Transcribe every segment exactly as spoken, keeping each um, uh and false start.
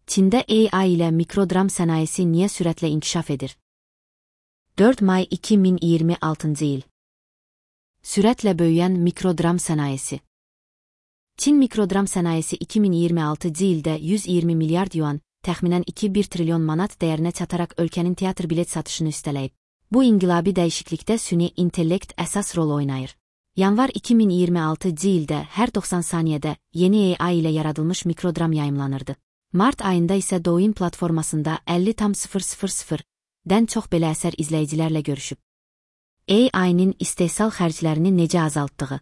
Çində A I ilə mikrodram sənayesi niyə sürətlə inkişaf edir? dörd may iki min iyirmi altıncı il. Sürətlə böyüyən mikrodram sənayesi. Çin mikrodram sənayesi iki min iyirmi altıncı ildə yüz iyirmi milyard yuan, təxminən iki nöqtə bir trilyon manat dəyərinə çataraq ölkənin teatr bilet satışını üstələyib. Bu inqilabi dəyişiklikdə süni intellekt əsas rol oynayır. Yanvar iki min iyirmi altıncı ildə hər doxsan saniyədə yeni A I ilə yaradılmış mikrodram yayımlanırdı. Mart ayında isə Douyin platformasında əlli tam sıfır sıfır sıfırdən çox belə əsər izləyicilərlə görüşüb. A I-nin istehsal xərclərini necə azaltdığı.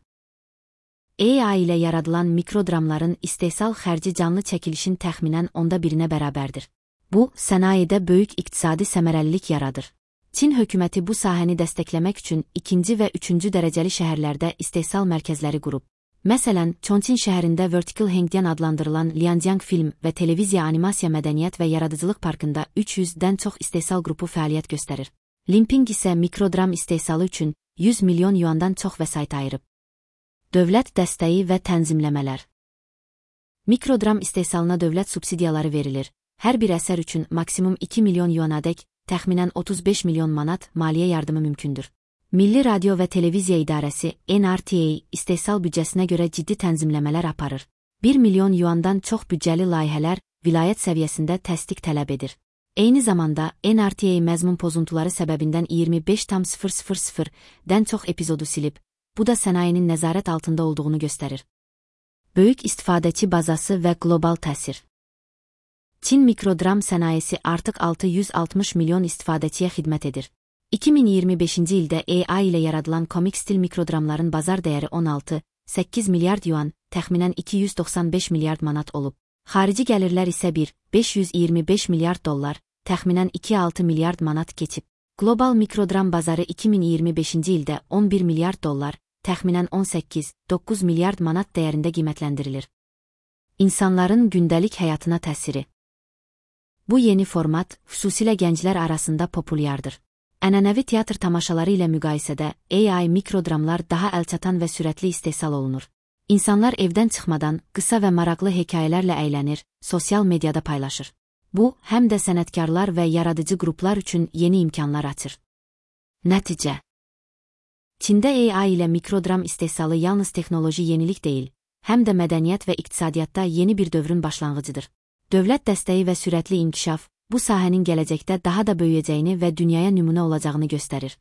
A I ilə yaradılan mikrodramların istehsal xərci canlı çəkilişin təxminən onda birinə bərabərdir. Bu, sənayedə böyük iqtisadi səmərəlilik yaradır. Çin hökuməti bu sahəni dəstəkləmək üçün ikinci və üçüncü dərəcəli şəhərlərdə istehsal mərkəzləri qurub. Məsələn, Chongqing şəhərində Vertical Hengdian adlandırılan Lianjiang Film və Televiziya Animasiya Mədəniyyət və Yaradıcılıq Parkında üç yüzdən çox istehsal qrupu fəaliyyət göstərir. Limping isə mikrodram istehsalı üçün yüz milyon yuandan çox vəsait ayırıb. Dövlət dəstəyi və tənzimləmələr. Mikrodram istehsalına dövlət subsidiyaları verilir. Hər bir əsər üçün maksimum iki milyon yuanadək, təxminən otuz beş milyon manat maliyyə yardımı mümkündür. Milli Radio və Televiziya İdarəsi N R T A istehsal büdcəsinə görə ciddi tənzimləmələr aparır. bir milyon yuandan çox büdcəli layihələr vilayət səviyyəsində təsdiq tələb edir. Eyni zamanda N R T A məzmun pozuntuları səbəbindən iyirmi beş tam sıfır sıfır sıfırdən çox epizodu silib, bu da sənayenin nəzarət altında olduğunu göstərir. Böyük istifadəçi bazası və qlobal təsir. Çin mikrodram sənayesi artıq altı yüz altmış milyon istifadəçiyə xidmət edir. iki min iyirmi beşinci ildə A I ilə yaradılan komik stil mikrodramların bazar dəyəri on altı nöqtə səkkiz milyard yuan, təxminən iki yüz doxsan beş milyard manat olub. Xarici gəlirlər isə bir nöqtə beş yüz iyirmi beş milyard dollar, təxminən iki nöqtə altı milyard manat keçib. Qlobal mikrodram bazarı iki min iyirmi beşinci ildə on bir milyard dollar, təxminən on səkkiz nöqtə doqquz milyard manat dəyərində qiymətləndirilir. İnsanların gündəlik həyatına təsiri. Bu yeni format, xüsusilə gənclər arasında populyardır. Ənənəvi teatr tamaşaları ilə müqayisədə A I mikrodramlar daha əlçatan və sürətli istehsal olunur. İnsanlar evdən çıxmadan qısa və maraqlı hekayələrlə əylənir, sosial mediada paylaşır. Bu, həm də sənətkarlar və yaradıcı qruplar üçün yeni imkanlar açır. Nəticə. Çində A I ilə mikrodram istehsalı yalnız texnoloji yenilik deyil, həm də mədəniyyət və iqtisadiyyatda yeni bir dövrün başlanğıcıdır. Dövlət dəstəyi və sürətli inkişaf, bu sahənin gələcəkdə daha da böyüyəcəyini və dünyaya nümunə olacağını göstərir.